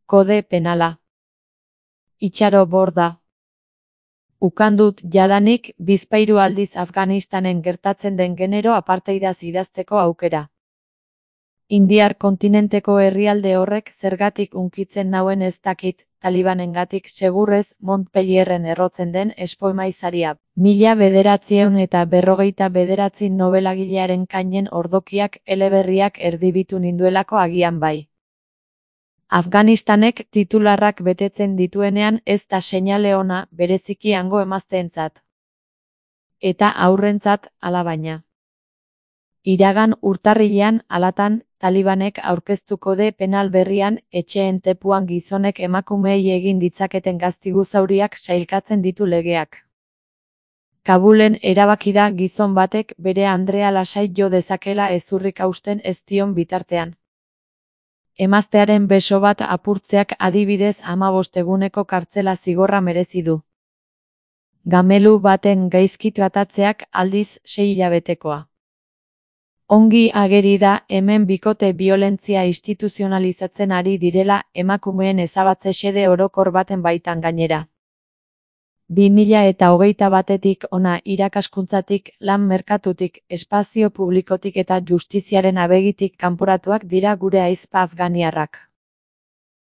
Kode penala. Itxaro borda. Ukandut jadanik bizpahiru aldiz Afganistanen gertatzen den genero apartheidaz idazteko aukera. Indiar kontinenteko herrialde horrek zergatik hunkitzen nauen ez dakit, Talibanengatik segurrez Montpellierren errotzen den espoemaizaria. 1949 nobelagilearen kainen ordokiak eleberriak erdibitu ninduelako agian bai. Afganistanek titularrak betetzen dituenean ez da seinale ona bereziki hango emazteentzat. Eta haurrentzat alabaina. Iragan urtarrilean alatan, Talibanek aurkeztu kode penal berrian etxeen tepuan gizonek emakumeei egin ditzaketen gaztigu zauriak sailkatzen ditu legeak. Kabulen erabaki da gizon batek bere andrea lasai jo dezakela hezurrik hausten ez dion bitartean. Emaztearen beso bat apurtzeak adibidez 15 eguneko kartzela zigorra merezi du. Gamelu baten gaizki tratatzeak aldiz 6 hilabetekoa. Ongi ageri da hemen bikote biolentzia instituzionalizatzen ari direla emakumeen ezabatze xede orokor baten baitan gainera. 2021 hona irakaskuntzatik, lan merkatutik, espazio publikotik eta justiziaren abegitik kanporatuak dira gure ahizpa afganiarrak.